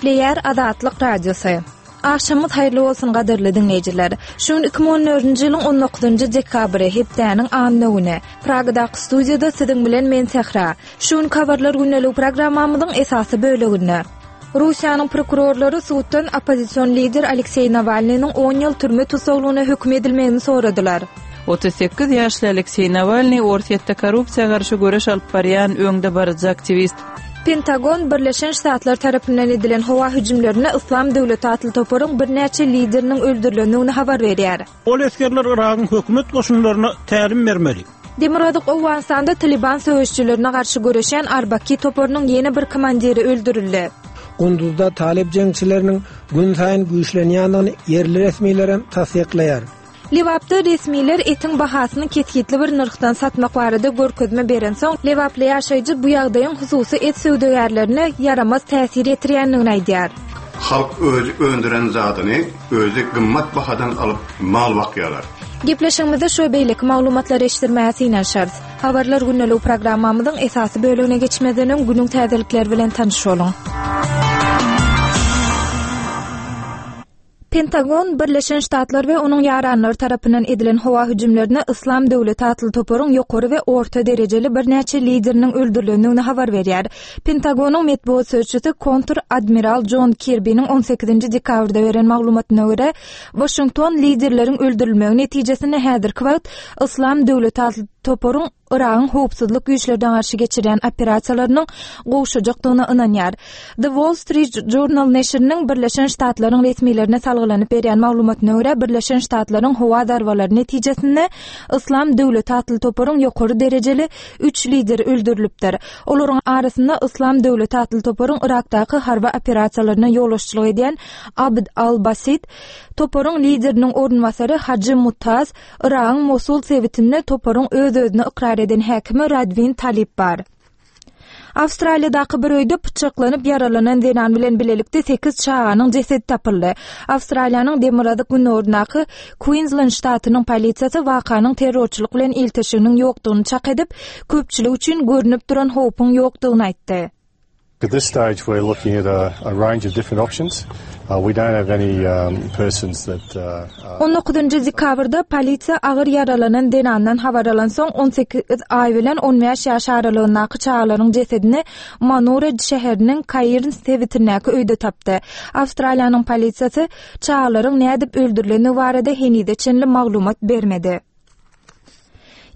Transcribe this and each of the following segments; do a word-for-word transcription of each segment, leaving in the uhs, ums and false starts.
Gepleýär Azatlyk Radiosy. Agşamyňyz haýyrly bolsun gadyrly diňleýjiler. Şu gün iki müň on dördünji ýylyň on dokuzynjy dekabry, hepdäniň anna güni. Pragadaky studiýada siziň bilen men Sähra. Şu günki habarlar gündeligi programmamyzyň esasy böleginde Russiýanyň prokurorlary suddan oppozision lider Alekseý Nawalnynyň on ýyl türme tussaglygyna höküm edilmegini soradylar. Otuz sekiz ýaşly Alekseý Nawalnyý Orsýetde korrupsiýa garşy göreş alyp barýan öňdebaryjy aktiwist. Pentagon Birleşen Ştatlar tarapyndan edilen howa hüjümlerinde Yslam döwleti atly toparyň birnäçe lideriniň öldürilendigini habar berýär. Ol esgerler Yragyň hökümet goşunlaryna tälim bermeli. Demirgazyk Owganystanda Taliban söweşçilerine garşy göreşýän Arbaki toparynyň ýene bir komandiri öldürildi. Gunduzda Talip jeňçileriniň gün saýyn güýçlenýändigini ýerli resmilerem tassyklaýar. Lebapda resmiler etiň bahasyny kesgitli bir nyrhdan satmak barada görkezme berensoň, Lebaply ýaşaýjy bu ýagdaýyň hususy et söwdagärlerine ýaramaz täsir ýetirýändigini aýdýar. Halk özi öndüren zadyny özi gymmat bahadan alyp mal bakýarlar. Gepleşigimizde şu beýleki maglumatlary eşitdirmäge synanyşarys. Habarlar gündelik programmamyzyň esasy bölegine geçmezden öň günüň täzelikleri bilen tanyş boluň. Pentagon Birleşen Ştatlar we onuň ýaranlary tarapyndan edilen howa hüjümlerine Yslam döwleti atly toparyň ýokary we orta derejeli birnäçe lideriniň öldürilendigini habar berýär. Pentagonyň metbugat sözçüsi kontr admiral John Kirby'niň on sekizinji dekabrda beren maglumatyna görä, Washington liderleriň öldürilmegi netijesinde häzirki wagt Yslam döwleti atly toparyň Yragyň howpsuzlyk güýçlerine garşy geçirýän operasiýalarynyň gowşajakdygyna ynanýar. The Wall Street Journal neşiriniň Birleşen Ştatlaryň resmilerine salgylanyp berýän maglumatyna görä, Birleşen Ştatlaryň howa zarbalary netijesinde Yslam döwleti atly toparyň ýokary derejeli üç lideri öldürilipdir. Olaryň arasynda Yslam döwleti atly toparyň Yrakdaky harby operasiýalaryna ýolbaşçylyk edýän Abd al-Basit, toparyň lideriniň orunbasary Hajy Mutaz, Yragyň Mosul sebitinde toparyň öz-özüni ykrar eden häkimi Radwin Talip bar. Awstraliýadaky bir öýde pyçaklanyp ýaralanan zenan bilen bilelikde sekiz çaganyň jesedi tapyldy. Awstraliýanyň demirgazyk günoryndaky Queensland ştatynyň polisiýasy wakanyň terrorçylyk bilen ilteşiginiň ýokdugyny çak edip, köpçülik üçin görnüp duran howpuň ýokdugyny aýtdy. At this stage we're looking at a, a range of different options. Uh, we don't have any, um, persons that, uh, uh, On dokuzynjy dekabrda polisiýa agyr ýaralanan zenandan habar alansoň on sekiz aý bilen on bäş ýaş aralygyndaky çagalaryň jesedini Manura şäheriniň Kairns sebitindäki öýde tapdy. Awstraliýanyň polisiýasy çagalaryň nädip öldürilendigi barada henize çenli maglumat bermedi.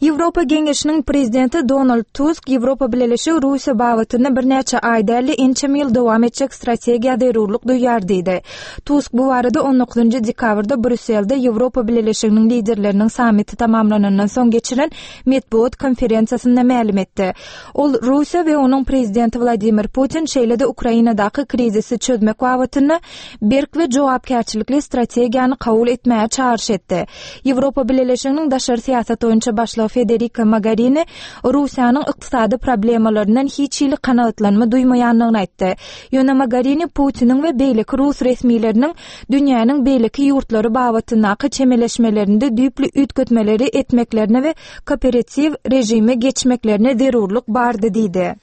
Ýewropa Geňeşiniň prezidenti Donald Tusk Ýewropa Bileleşigi Russiýa babatynda birnäçe aý däl-de ençeme ýyl dowam etjek strategiýa zerurlyk duýar diýdi. Tusk bu barada on dokuzynjy dekabrda Brýusselde Ýewropa Bileleşiginiň liderleriniň sammiti tamamlanandan soň geçiren metbugat konferensiýasynda mälim etdi. Ol Russiýa we onuň prezidenti Wladimir Putin şeýle-de Ukrainadaky krizisi çözmek babatynda berk we jogapkärçilikli strategiýany kabul etmäge çagyryş etdi. Ýewropa Bileleşiginiň daşary syýasat boýunça başlygy Federica Mogherini Russiýanyň ykdysady problemalaryndan hiç hili kanagatlanma duýmaýandygyny aýtdy. Ýöne Mogherini Putiniň we beýleki rus resmileriniň dünýäniň beýleki ýurtlary babatyndaky çemeleşmelerinde düýpli üýtgetmeleri etmeklerine we kooperatiw režime geçmeklerine zerurlyk bardy diýdi.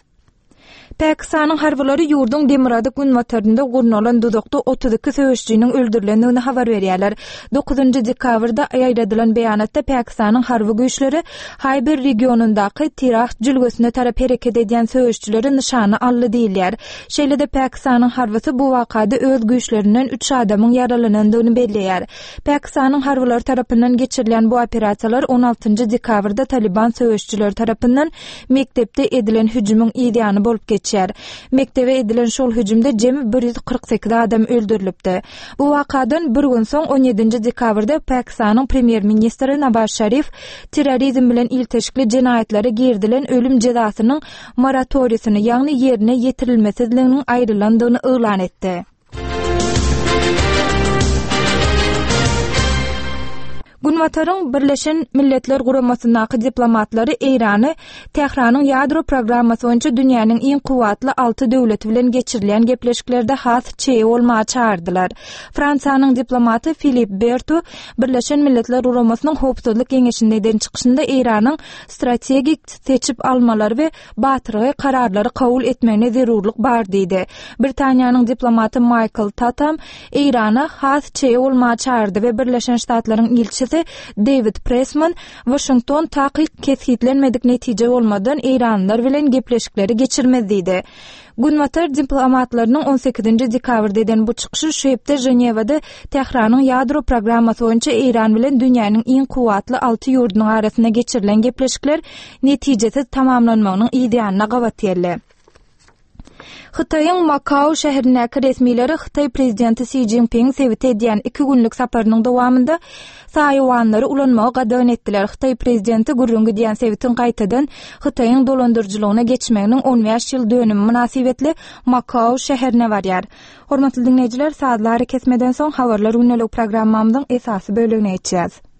Pakistanyň harbylary ýurduň demirgazyk günbatarynda gurnalan duzakda otuz iki söweşçiniň öldürilendigini habar berýärler. Dokuzynjy dekabrda ýaýradylan beýanatda Pakistanyň harby güýçleri Haýber regionyndaky Tirah jülgesine tarap hereket edýän söweşçileri nyşana aldy diýilýär. Şeýle-de Pakistanyň harbysy bu wakada öz güýçlerinden üç adamyň ýaralanandygyny belleýär. Pakistanyň harbylary tarapyndan geçirilen bu operasiýalar on altynjy dekabrda Taliban söweşçileri tarapyndan mekdepde edilen hüjümiň ýany bolup geçýär. Mekdebe edilen şol hüjümde jemi bir ýüz kyrk sekiz adam öldürilipdi. Bu wakadan bir gün soň on ýedinji dekabrda Pakistanyň premýer-ministri Nawaz Şarif terrorizm bilen ilteşikli jenaýatlara girdilen ölüm jezasynyň moratoriýasyny, ýagny ýerine ýetirilmesizliginiň aýrylandygyny yglan etdi. Günbataryň Birleşen Milletler Guramasyndaky diplomatlary Eýrany Tähranyň ýadro programmasy boýunça dünýäniň iň kuwwatly alty döwleti bilen geçirilýän gepleşiklerde has çeýe bolmaga çagyrdylar. Fransiýanyň diplomaty Filip Bertu Birleşen Milletler Guramasynyň Howpsuzlyk Geňeşinde eden çykyşynda Eýranyň strategik seçip almalary we batyrgaý kararlary kabul etmegine zerurlyk bar diýdi. Britaniýanyň diplomaty Maýkl Tatam Eýrana has çeýe bolmaga çagyrdy we Birleşen Ştatlaryň ilçisi Dewid Pressman Waşington takyk kesgitlenmedik netije bolmadan eýranlylar bilen gepleşikleri geçirmez diýdi. Günbatar diplomatlarynyň on sekizinji dekabrda eden bu çykyşy şu hepde Ženewada Tähranyň ýadro programmasy boýunça Eýran bilen dünýäniň iň kuwwatly alty ýurdunyň arasynda geçirilen gepleşikler netijesiz tamamlanmagynyň yz ýanyna gabat geldi. Hytaýyň Makao şäherindäki resmileri Hytaý prezidenti Si Jinpingiň sebite edýän iki günlük saparynyň dowamynda saýawanlary ulanmagy gadagan etdiler. Hytaý prezidenti gürrüň gidýän sebitiň gaýtadan Hytaýyň dolandyryjylygyna geçmeginiň on bäş ýyl dönümi mynasybetli Makao şäherine barýar. Hormatly diňleýjiler, sazly arakesmeden soň habarlar gündelik programmamyzyň esasy bölegine geçýäs.